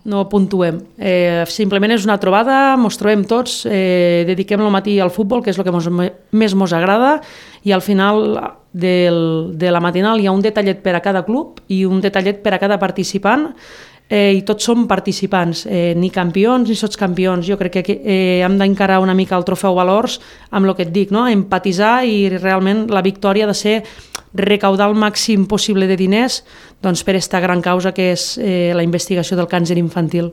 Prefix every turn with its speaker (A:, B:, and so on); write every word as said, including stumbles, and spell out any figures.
A: no puntuem. Eh, simplement és una trobada, ens trobem tots, eh, dediquem el matí al futbol, que és el que mos, més ens agrada, i al final del, de la matinal hi ha un detallet per a cada club i un detallet per a cada participant, eh, i tots som participants, eh, ni campions ni sotscampions. Jo crec que eh, hem d'encarar una mica el trofeu Valors amb el que et dic, no? Empatitzar, i realment la victòria ha de ser recaudar el màxim possible de diners doncs, per aquesta gran causa que és eh, la investigació del càncer infantil.